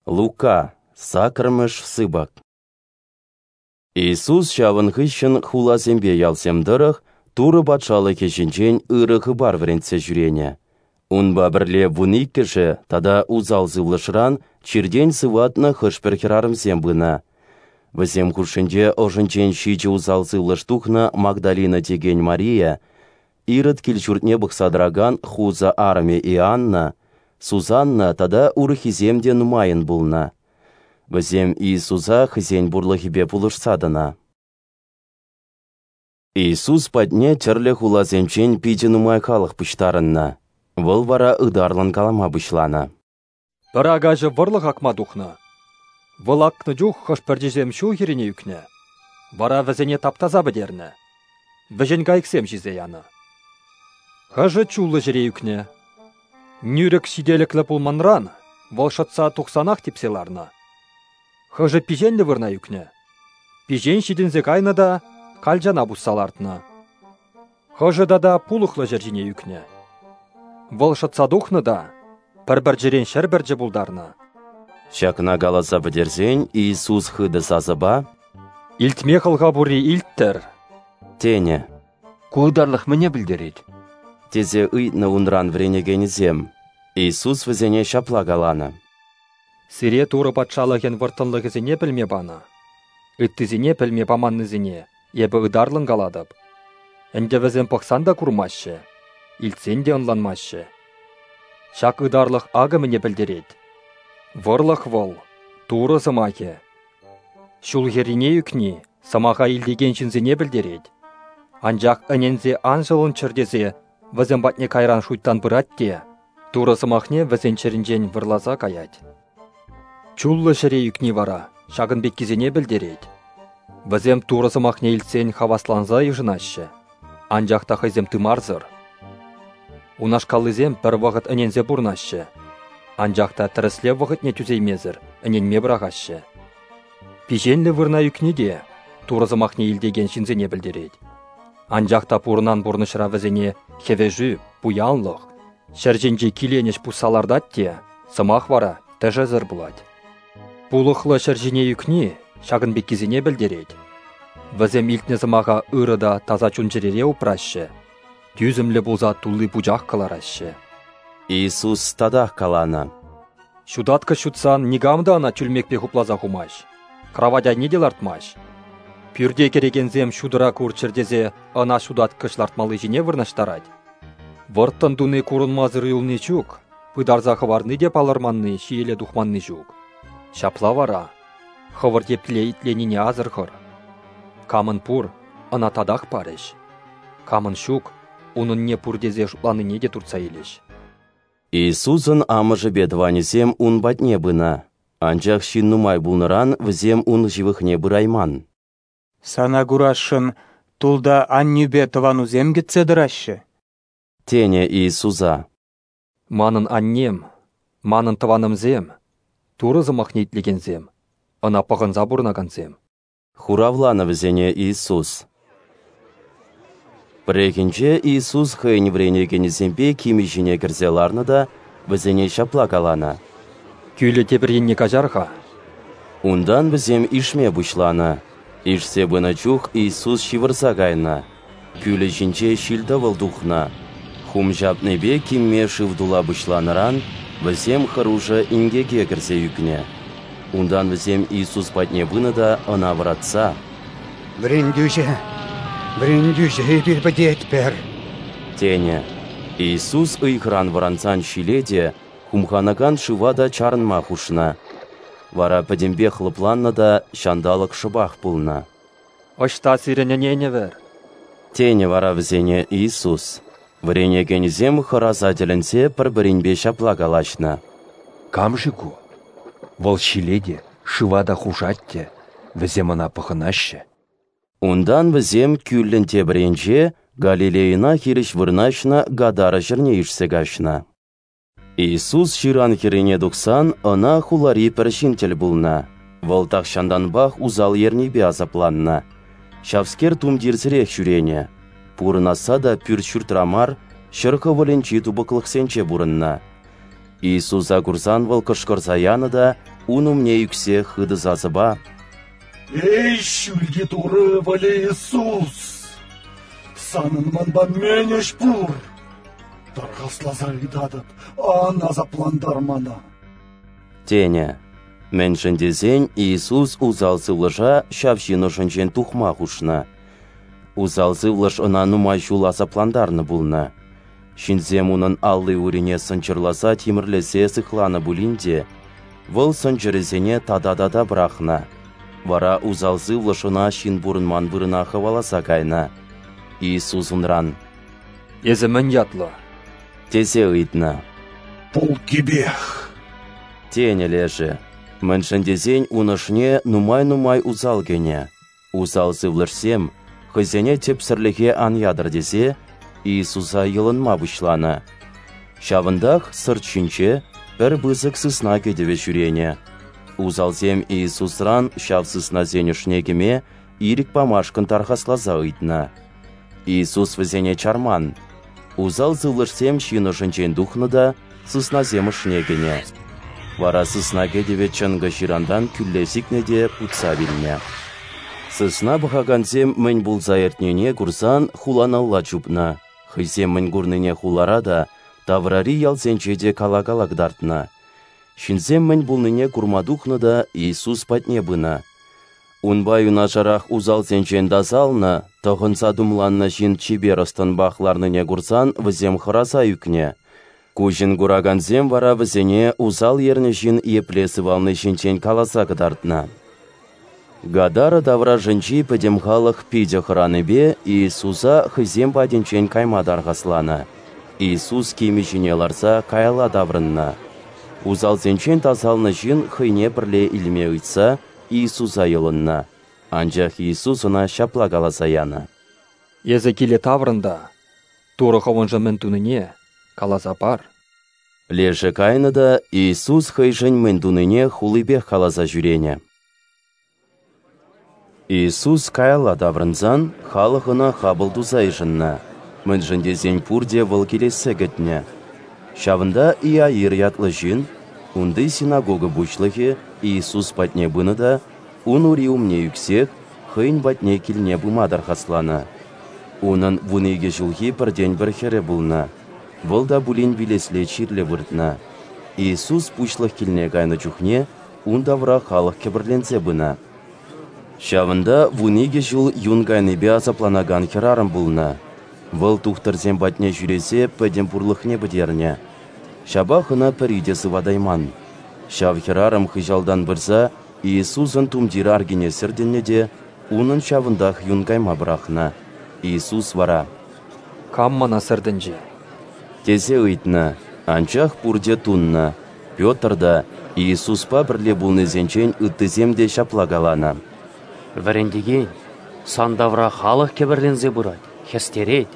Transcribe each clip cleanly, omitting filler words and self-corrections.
Лука, саккӑрмӗш сыпӑк. Иисус ҫавӑн хыҫҫӑн хуласемпе ялсем тӑрӑх Турӑ Патшалӑхӗ ҫинчен ырӑ хыпар вӗрентсе ҫӳренӗ. Унпа пӗрле 12-шӗ тата усал сывлӑшран, чиртен сыватнӑ хӑш-пӗр хӗрарӑмсем пынӑ. Вӗсем хушшинче ӑшӗнчен 7 усал сывлӑш тухнӑ Магдалина текен Мария, Ирод кил-ҫуртне пӑхса тӑракан Хуза арӑмӗ Иоанна, Сусанна тата урӑххисем те нумайӑн пулнӑ. Вӗсем Иисуса хӑйсен пурлӑхӗпе пулӑшса тӑнӑ. Иисус патне тӗрлӗ хуласенчен питӗ нумай халӑх пуҫтарӑннӑ. Вӑл вара ытарлӑн калама пуҫланӑ. Пӗр акаҫӑ вӑрлӑх акма тухнӑ. Вӑл акнӑ чух хӑш пӗрчисем ҫул хӗррине ӳкнӗ. Вара вӗсене таптаса пӗтернӗ. Вӗҫен кайӑксем ҫисе янӑ. Хӑшӗ чуллӑ ҫӗре ӳкнӗ. Нӳрӗк ҫителӗклӗ пулманран вӑл шӑтса тухсанах типсе ларнӑ. Хӑшӗ пиҫенлӗ вырӑна ӳкнӗ. Пиҫен ҫитӗнсе кайнӑ та калчана пусса лартнӑ. Хӑшӗ тата пулӑхлӑ ҫӗр ҫине ӳкнӗ. Вӑл шӑтса тухнӑ та пӗр пӗрчӗрен 100 пӗрчӗ пултарнӑ. Ҫакна каласа пӗтерсен Иисус хытӑ сасӑпа: «Илтме хӑлха пурри илттӗр!» тенӗ. Ку ытарлӑх мӗне пӗлтерет? Тесе ыйтнӑ унран вӗренекенӗсем. Иисус вӗсене ҫапла каланӑ: «Сире Турӑ Патшалӑхӗн вӑрттӑнлӑхӗсене пӗлме панӑ. Ыттисене пӗлме паманнисене эпӗ ытарлӑн калатӑп. Ӗнтӗ вӗсем пӑхсан та курмаҫҫӗ, илтсен те ӑнланмаҫҫӗ. Ҫак ытарлӑх акӑ мӗне пӗлтерет. Вӑрлӑх вӑл Турӑ сӑмахӗ. Ҫул хӗррине ӳкни сӑмаха илтекен ҫынсене пӗлтерет. Анчах ӗненсе ан ҫӑлӑнччӑр тесе вӗсем патне кайран шуйттан пырать те Турӑ сӑмахне вӗсен чӗринчен вӑрласа каять. Чуллӑ ҫӗре ӳкни вара ҫакӑн пеккисене пӗлтерет. Вӗсем Турӑ сӑмахне илтсен хавасланса йышӑнаҫҫӗ, анчах та хӑйсем тымарсӑр. Унашкаллисем пӗр вӑхӑт ӗненсе пурӑнаҫҫӗ, анчах та тӗрӗслев вӑхӑтне тӳсеймесӗр ӗненме пӑрахаҫҫӗ. Пиҫенлӗ вырӑна ӳкни те Турӑ сӑмахне илтекен ҫынсене пӗлтерет. Анчах та пурӑнан пурнӑҫра вӗсене хӗвӗшӳ, пуянлӑх, ҫӗр ҫинчи киленӗҫ пусса лартать те, сӑмах вара тӗшӗсӗр пулать. Пулӑхлӑ ҫӗр ҫине ӳкни ҫакӑн пеккисене пӗлтерет. Вӗсем илтнӗ сӑмаха ырӑ та таса чун-чӗрере упраҫҫӗ, тӳсӗмлӗ пулса тулли пучах кӑлараҫҫӗ. Иисус татах каланӑ: Ҫутаткӑҫ ҫутсан никам та ӑна чӳлмекпе хупласа хумасть, кравать айне те лартмасть. Пӳрте кӗрекенсем ҫутӑра курччӑр тесе ӑна ҫутаткӑҫ лартмалли ҫине вырнаҫтарать. Вӑрттӑн туни курӑнмасӑр юлни ҫук, пытарса хӑварни те палӑрманни, ҫиеле тухманни ҫук. Ҫапла вара, хӑвӑр епле итленине асӑрхӑр. Камӑн пур, ӑна татах парӗҫ. Камӑн ҫук, унӑнне пур тесе шутланине те туртса илӗҫ. Иисусӑн амӑшӗпе тӑванӗсем ун патне пынӑ, анчах ҫын нумай пулнӑран вӗсем ун ҫывӑхне пырайман. Сана курасшӑн тулта аннӳпе тӑванусем кӗтсе тӑраҫҫӗ, тенӗ Иисуса. Манӑн аннем, манӑн тӑванӑмсем, Турӑ сӑмахне итлекенсем, ӑна пӑхӑнса пурӑнакансем. Хуравланӑ вӗсене Иисус. Пӗррехинче Иисус хӑйӗн вӗренекенӗсемпе кимӗ ҫине кӗрсе ларнӑ та вӗсене ҫапла каланӑ: Кӳлӗ тепӗр енне каҫар-ха. Унтан вӗсем ишме пуҫланӑ. Ишсе пынӑ чух Иисус ҫывӑрса кайнӑ. Кӳлӗ ҫинче ҫил-тӑвӑл тухнӑ. Хум ҫапнипе кимме шыв тула пуҫланӑран вӗсем хӑрушӑ инкеке кӗрсе ӳкнӗ. Унтан вӗсем Иисус патне пынӑ та ӑна вӑратса: «Вӗрентӳҫӗ, вӗрентӳҫӗ, эпир пӗтетпӗр!» тенӗ. Иисус ыйхӑран вӑрансан ҫиле те, хумханакан шыва та чарӑнма хушнӑ. Вара пӗтӗмпех лӑпланнӑ та ҫанталӑк шӑпах пулнӑ. Ӑҫта сирӗн ӗненӗвӗр? Тенӗ вара вӗсене Иисус. Вӗренекенӗсем хӑраса тӗлӗнсе пӗр-пӗринпе ҫапла калаҫнӑ: Кам-ши ку? Вӑл ҫиле те, шыва та хушать те, вӗсем ӑна пӑхӑнаҫҫӗ. Унтан вӗсем кӳллӗн тепӗр енче Галилейӑна хирӗҫ вырнаҫнӑ Гадара ҫӗрне ишсе каҫнӑ. Иисус ҫыран хӗррине тухсан ӑна хулари пӗр ҫын тӗл пулнӑ. Вӑл тахҫантанпах усал ернипе асапланнӑ. Ҫавскер тумтирсӗрех ҫӳренӗ. Пурӑнасса та пӳрт-ҫуртра мар, ҫӗр хӑвӑлӗнчи тупӑклӑхсенче пурӑннӑ. Иисуса курсан вӑл кӑшкӑрса янӑ та ун умне ӳксе хытӑ сасӑпа: «Эй, Ҫӳлти Турӑ Ывӑлӗ Иисус! Санӑн манпа мӗн ӗҫ пур? Тархасласа ыйтатӑп, ан асаплантар мана!» тенӗ. Мӗншӗн тесен Иисус усал сывлӑша ҫав ҫын ӑшӗнчен тухма хушнӑ. Усал сывлӑш ӑна нумай ҫул асаплантарнӑ пулнӑ. Ҫынсем унӑн алли-урине сӑнчӑрласа тимӗрлесе сыхланӑ пулин те, вӑл сӑнчӑрӗсене тата-тата пӑрахнӑ. Вара усал сывлӑш ӑна ҫын пурӑнман вырӑна хӑваласа кайнӑ. Иисус унран: «Эсӗ мӗн ятлӑ?» тесе ыйтнӑ. «Полккипех», тенӗ лешӗ. Мӗншӗн тесен ун ӑшне нумай-нумай усал кӗнӗ. Усал сывлӑшсем, хӑйсене тӗпсӗрлӗхе ан ятӑр тесе, Иисуса йӑлӑнма пуҫланӑ. Ҫавӑнтах сӑрт ҫинче пӗр пысӑк сысна кӗтӗвӗ ҫӳренӗ. Усалсем Иисусран ҫав сыснасен ӑшне кӗме ирӗк памашкӑн тархасласа ыйтнӑ. Иисус вӗсене чарман. Усал сывлӑшсем ҫын ӑшӗнчен тухнӑ та сыснасем ӑшне кӗнӗ. Вара сысна кӗтӗвӗ чӑнкӑ ҫырантан кӳлле сикнӗ те путса вилнӗ. Сысна пӑхакансем мӗн пулса иртнине курсан хуланалла чупнӑ, хӑйсем мӗн курнине хулара та, таврари ялсенче те кала-кала кӑтартнӑ. Ҫынсем мӗн пулнине курма тухнӑ та Иисус патне пынӑ. Унпа юнашарах усалсенчен тасалнӑ, тӑхӑнса тумланнӑ ҫын чипер ӑс-тӑнпах ларнине курсан вӗсем хӑраса ӳкнӗ. Куҫӑн куракансем вара вӗсене усал ернӗ ҫын епле сывални ҫинчен каласа кӑтартнӑ. Гадара таврашӗнчи пӗтӗм халӑх питӗ хӑранипе Иисуса хӑйсем патӗнчен кайма тархасланӑ. Иисус кимӗ ҫине ларса каялла таврӑннӑ. Усалсенчен тасалнӑ ҫын хӑйне пӗрле илме ыйтса Иисуса йӑлӑннӑ. Анчах Иисус ӑна ҫапла каласа янӑ: «Эсӗ киле таврӑн та Турӑ хӑвӑншӑн мӗн тунине каласа пар». Лешӗ кайнӑ та Иисус хӑйшӗн мӗн тунине хулипех каласа ҫӳренӗ. Иисус каялла таврӑнсан халӑх ӑна хапӑл туса йышӑннӑ, мӗншӗн тесен пурте вӑл килессе кӗтнӗ. Ҫавӑнта Иаир ятлӑ ҫын, унти синагога пуҫлӑхӗ, Иисус патне пынӑ та ун ури умне ӳксех хӑйӗн патне килне пыма тархасланӑ. Унӑн 12 ҫулхи пӗртен-пӗр хӗрӗ пулнӑ, вӑл та пулин вилесле чирлӗ выртнӑ. Иисус пуҫлӑх килне кайнӑ чухне ун тавра халӑх кӗпӗрленсе пынӑ. Ҫавӑнта 12 ҫул юн кайнипе асапланакан хӗрарӑм пулнӑ. Вӑл тухтӑрсем патне ҫӳресе пӗтӗм пурлӑхне пӗтернӗ. Ҫапах ӑна пӗри те сыватайман. Ҫав хӗрарӑм хыҫалтан пырса Иисусӑн тумтир аркине сӗртӗннӗ те унӑн ҫавӑнтах юн кайма пӑрахнӑ. Иисус вара: «Кам мана сӗртӗнчӗ?» тесе ыйтнӑ, анчах пурте туннӑ. Петр та, Иисуспа пӗрле пулнисенчен ыттисем те ҫапла каланӑ: «Вӗрентекен, сан тавра халӑх кӗпӗрленсе пырать, хӗстерет.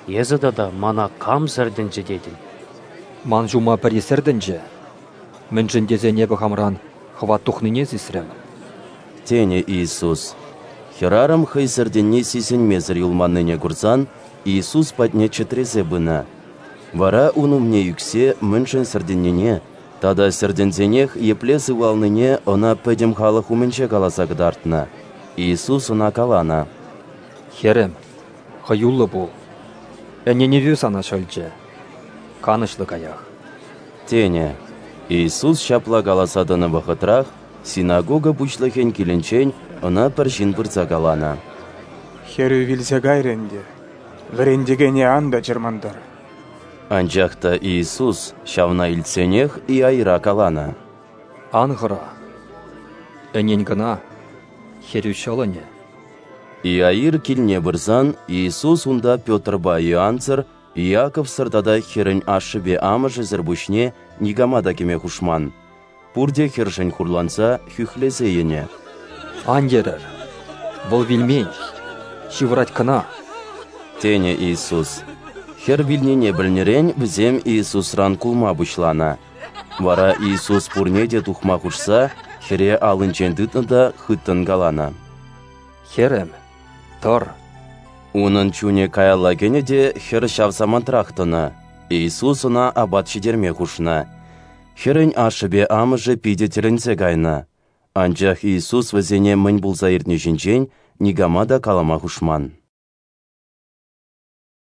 Эсӗ тата мана кам сӗртӗнчӗ тетӗн?» «Ман ҫума пӗри сӗртӗнчӗ, мӗншӗн тесен эпӗ хамран хӑват тухнине сисрӗм», тенӗ Иисус. Хӗрарӑм хӑй сӗртӗнни сисӗнмесӗр юлманнине курсан Иисус патне чӗтресе пынӑ. Вара ун умне ӳксе мӗншӗн сӗртӗннине тата сӗртӗнсенех епле сывалнине ӑна пӗтӗм халӑх умӗнче каласа кӑтартнӑ. Иисус ӑна каланӑ: «Хӗрӗм, хӑюллӑ пул, ӗненӗвӳ сана ҫӑлчӗ, канӑҫлӑ каях», тенӗ. Иисус ҫапла каласа тӑнӑ вӑхӑтрах синагога пуҫлӑхӗн килӗнчен ӑна пӗр ҫын пырса каланӑ: «Хӗрӳ вилсе кайрӗ ӗнтӗ, вӗрентекене ан та чӑрмантар». Анчах та Иисус ҫавна илтсенех Иаира каланӑ: «Ан хӑра, ӗнен кӑна, хӗрӳ ҫӑлӑнӗ». Иаир килне пырсан Иисус унта Петрпа Иоансӑр, Иаковсӑр тата хӗрӗн ашшӗпе амӑшӗсӗр пуҫне никама та кӗме хушман. Пурте хӗршӗн хурланса хӳхлесе йӗнӗ. «Ан йӗрӗр, вӑл вилмен, ҫывӑрать кӑна», тенӗ Иисус. Хӗр вилнине пӗлнӗрен вӗсем Иисусран кулма пуҫланӑ. Вара Иисус пурне те тухма хушса хӗре аллинчен тытнӑ та хыттӑн каланӑ: «Хӗрӗм, тӑр». Унӑн чунӗ каялла кӗнӗ те хӗр ҫав самантрах тӑнӑ. Иисус ӑна апат ҫитерме хушнӑ. Хӗрӗн ашшӗпе амӑшӗ питӗ тӗлӗнсе кайнӑ. Анчах Иисус вӗсене мӗн пулса иртни ҫинчен никама та калама хушман.